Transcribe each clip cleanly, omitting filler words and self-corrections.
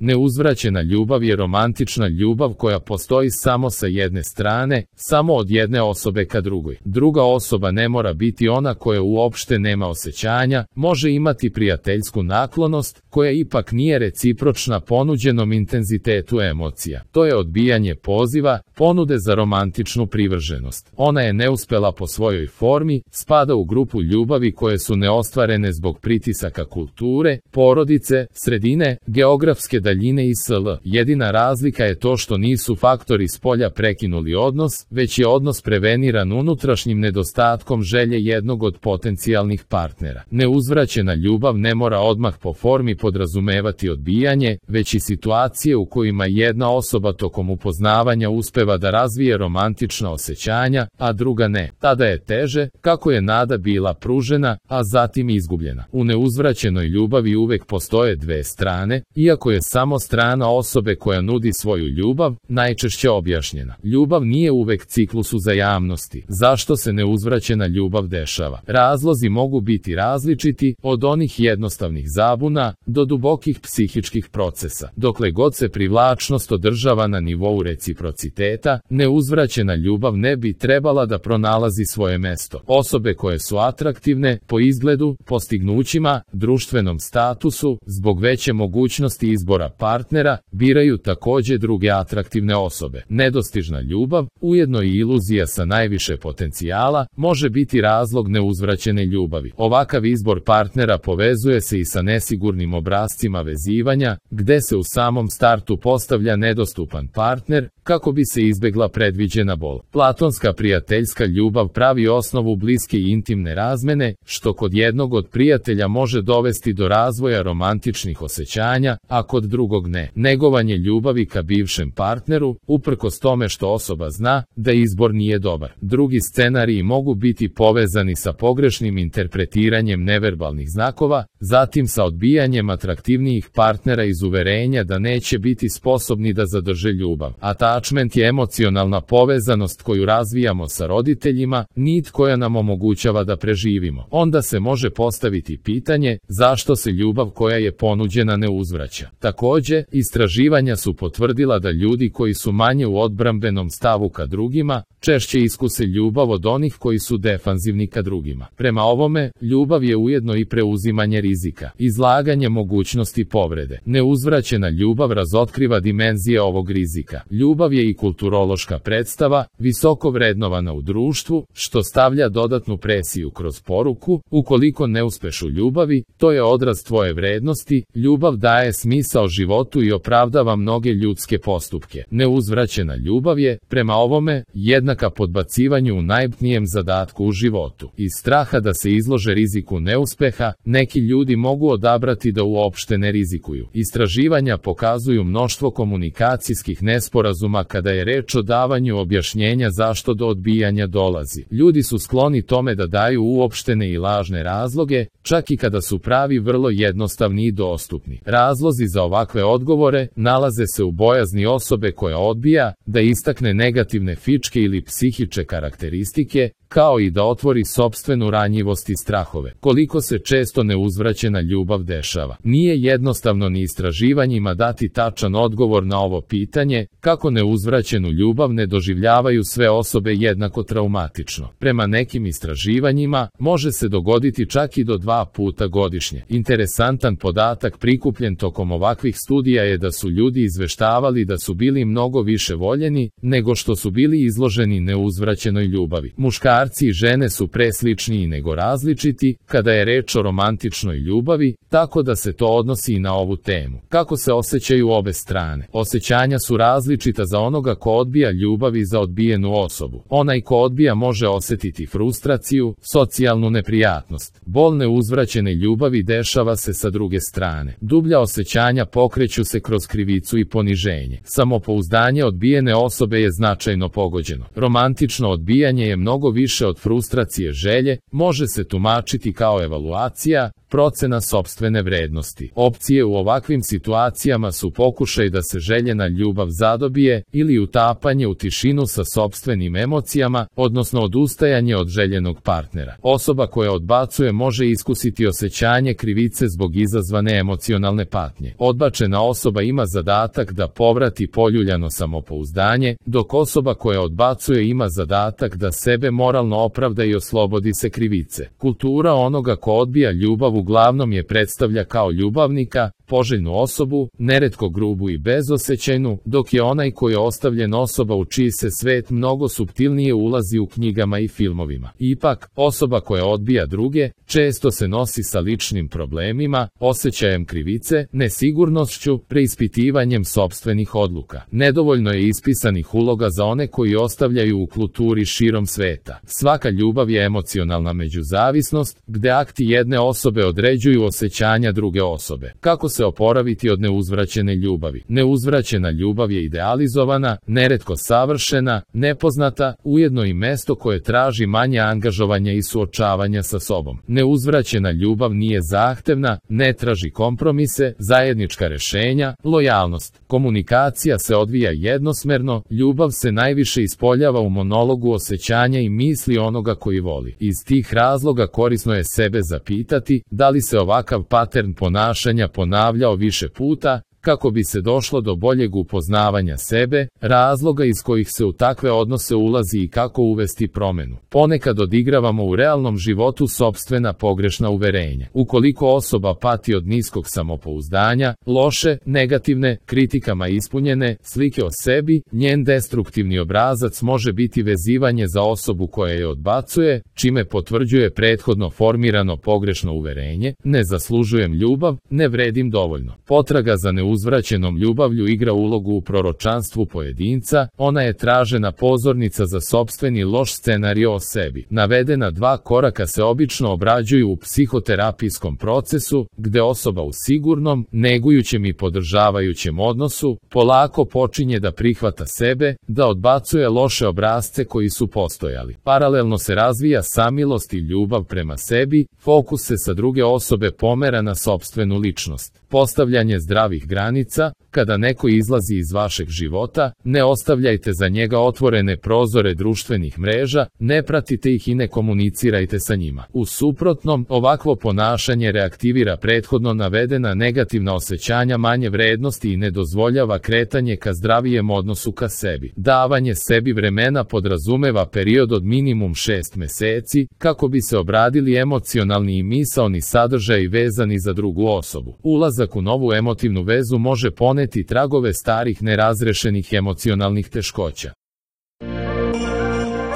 Neuzvraćena ljubav je romantična ljubav koja postoji samo sa jedne strane, samo od jedne osobe ka drugoj. Druga osoba ne mora biti ona koja uopšte nema osjećanja, može imati prijateljsku naklonost, koja ipak nije recipročna ponuđenom intenzitetu emocija. To je odbijanje poziva, ponude za romantičnu privrženost. Ona je neuspela po svojoj formi, spada u grupu ljubavi koje su neostvarene zbog pritisaka kulture, porodice, sredine, geografske daljine i sl. Jedina razlika je to što nisu faktori spolja prekinuli odnos, već je odnos preveniran unutrašnjim nedostatkom želje jednog od potencijalnih partnera. Neuzvraćena ljubav ne mora odmah po formi podrazumevati odbijanje, već i situacije u kojima jedna osoba tokom upoznavanja uspeva da razvije romantična osjećanja, a druga ne. Tada je teže, kako je nada bila pružena, a zatim izgubljena. U neuzvraćenoj ljubavi uvek postoje dve strane, iako je samo strana osobe koja nudi svoju ljubav najčešće objašnjena. Ljubav nije uvek ciklus uzajamnosti. Zašto se neuzvraćena ljubav dešava? Razlozi mogu biti različiti, od onih jednostavnih zabuna do dubokih psihičkih procesa. Dokle god se privlačnost održava na nivou reciprociteta, neuzvraćena ljubav ne bi trebala da pronalazi svoje mesto. Osobe koje su atraktivne po izgledu, postignućima, društvenom statusu, zbog veće mogućnosti izbora partnera, biraju takođe druge atraktivne osobe. Nedostižna ljubav, ujedno i iluzija sa najviše potencijala, može biti razlog neuzvraćene ljubavi. Ovakav izbor partnera povezuje se i sa nesigurnim obrascima vezivanja, gde se u samom startu postavlja nedostupan partner, kako bi se izbegla predviđena bol. Platonska prijateljska ljubav pravi osnovu bliske i intimne razmene, što kod jednog od prijatelja može dovesti do razvoja romantičnih osjećanja, a kod drugog ne. Negovanje ljubavi ka bivšem partneru, uprkos tome što osoba zna da izbor nije dobar. Drugi scenariji mogu biti povezani sa pogrešnim interpretiranjem neverbalnih znakova, zatim sa odbijanjem atraktivnijih partnera iz uverenja da neće biti sposobni da zadrže ljubav. Attachment je emocionalna povezanost koju razvijamo sa roditeljima, nit koja nam omogućava da preživimo. Onda se može postaviti pitanje zašto se ljubav koja je ponuđena ne uzvraća. Takođe, istraživanja su potvrdila da ljudi koji su manje u odbrambenom stavu ka drugima, češće iskuse ljubav od onih koji su defanzivni ka drugima. Prema ovome, ljubav je ujedno i preuzimanje rizika, izlaganje mogućnosti povrede. Neuzvraćena ljubav razotkriva dimenzije ovog rizika. Ljubav je i kulturološka predstava, visoko vrednovana u društvu, što stavlja dodatnu presiju kroz poruku: ukoliko ne uspeš u ljubavi, to je odraz tvoje vrednosti. Ljubav daje smisao životu i opravdava mnoge ljudske postupke. Neuzvraćena ljubav je, prema ovome, jednaka podbacivanju u najbitnijem zadatku u životu. Iz straha da se izlože riziku neuspeha, neki ljudi mogu odabrati da uopšte ne rizikuju. Istraživanja pokazuju mnoštvo komunikacijskih nesporazuma kada je reč o davanju objašnjenja zašto do odbijanja dolazi. Ljudi su skloni tome da daju uopštene i lažne razloge, čak i kada su pravi vrlo jednostavni i dostupni. Razlozi za ovakve odgovore nalaze se u bojazni osobe koja odbija da istakne negativne fičke ili psihičke karakteristike, kao i da otvori sopstvenu ranjivost i strahove. Koliko se često neuzvraćena ljubav dešava? Nije jednostavno ni istraživanjima dati tačan odgovor na ovo pitanje, kako neuzvraćenu ljubav ne doživljavaju sve osobe jednako traumatično. Prema nekim istraživanjima, može se dogoditi čak i do 2 puta godišnje. Interesantan podatak prikupljen tokom ovakvih studija je da su ljudi izveštavali da su bili mnogo više voljeni, nego što su bili izloženi neuzvraćenoj ljubavi. Muškarci i žene su presličniji nego različiti, kada je reč o romantičnoj ljubavi, tako da se to odnosi i na ovu temu. Kako se osjećaju obe strane? Osjećanja su različita za onoga ko odbija ljubav i za odbijenu osobu. Onaj ko odbija može osetiti frustraciju, socijalnu neprijatnost. Bol neuzvraćene ljubavi dešava se sa druge strane. Dublja osjećanja pokreću se kroz krivicu i poniženje. Samopouzdanje odbijene osobe je značajno pogođeno. Romantično odbijanje je mnogo više od frustracije želje, može se tumačiti kao evaluacija, procena sopstvene vrednosti. Opcije u ovakvim situacijama su pokušaj da se željena ljubav zadobije ili utapanje u tišinu sa sopstvenim emocijama, odnosno odustajanje od željenog partnera. Osoba koja odbacuje može iskusiti osjećanje krivice zbog izazvane emocionalne patnje. Odbačena osoba ima zadatak da povrati poljuljano samopouzdanje, dok osoba koja odbacuje ima zadatak da sebe moralno opravda i oslobodi se krivice. Kultura onoga ko odbija ljubav uglavnom je predstavlja kao ljubavnika, poželjnu osobu, neretko grubu i bezosećajnu, dok je onaj koji je ostavljen osoba u čiji se svet mnogo suptilnije ulazi u knjigama i filmovima. Ipak, osoba koja odbija druge, često se nosi sa ličnim problemima, osjećajem krivice, nesigurnošću, preispitivanjem sopstvenih odluka. Nedovoljno je ispisanih uloga za one koji ostavljaju u kulturi širom sveta. Svaka ljubav je emocionalna međuzavisnost, gde akti jedne osobe određuju osjećanja druge osobe. Kako se oporaviti od neuzvraćene ljubavi? Neuzvraćena ljubav je idealizovana, neretko savršena, nepoznata, ujedno i mesto koje traži manje angažovanja i suočavanja sa sobom. Neuzvraćena ljubav nije zahtevna, ne traži kompromise, zajednička rešenja, lojalnost. Komunikacija se odvija jednosmerno, ljubav se najviše ispoljava u monologu osjećanja i misli onoga koji voli. Iz tih razloga korisno je sebe zapitati da li se ovakav patern ponašanja ponavljao više puta, kako bi se došlo do boljeg upoznavanja sebe, razloga iz kojih se u takve odnose ulazi i kako uvesti promenu. Ponekad odigravamo u realnom životu sopstvena pogrešna uverenja. Ukoliko osoba pati od niskog samopouzdanja, loše, negativne, kritikama ispunjene slike o sebi, njen destruktivni obrazac može biti vezivanje za osobu koja je odbacuje, čime potvrđuje prethodno formirano pogrešno uverenje: ne zaslužujem ljubav, ne vredim dovoljno. Potraga za neuzvraćenom ljubavlju igra ulogu u proročanstvu pojedinca, ona je tražena pozornica za sopstveni loš scenario o sebi. Navedena dva koraka se obično obrađuju u psihoterapijskom procesu, gde osoba u sigurnom, negujućem i podržavajućem odnosu polako počinje da prihvata sebe, da odbacuje loše obrasce koji su postojali. Paralelno se razvija samilost i ljubav prema sebi, fokus se sa druge osobe pomera na sopstvenu ličnost. Postavljanje zdravih granica: kada neko izlazi iz vašeg života, ne ostavljajte za njega otvorene prozore društvenih mreža, ne pratite ih i ne komunicirajte sa njima. U suprotnom, ovakvo ponašanje reaktivira prethodno navedena negativna osjećanja manje vrednosti i ne dozvoljava kretanje ka zdravijem odnosu ka sebi. Davanje sebi vremena podrazumeva period od minimum 6 meseci, kako bi se obradili emocionalni i misaoni sadržaji vezani za drugu osobu. Ulazak u novu emotivnu vezu može poneti tragove starih nerazrešenih emocionalnih teškoća.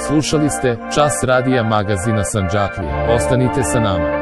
Slušali ste Čas radija magazina Sandžaklija. Ostanite sa nama.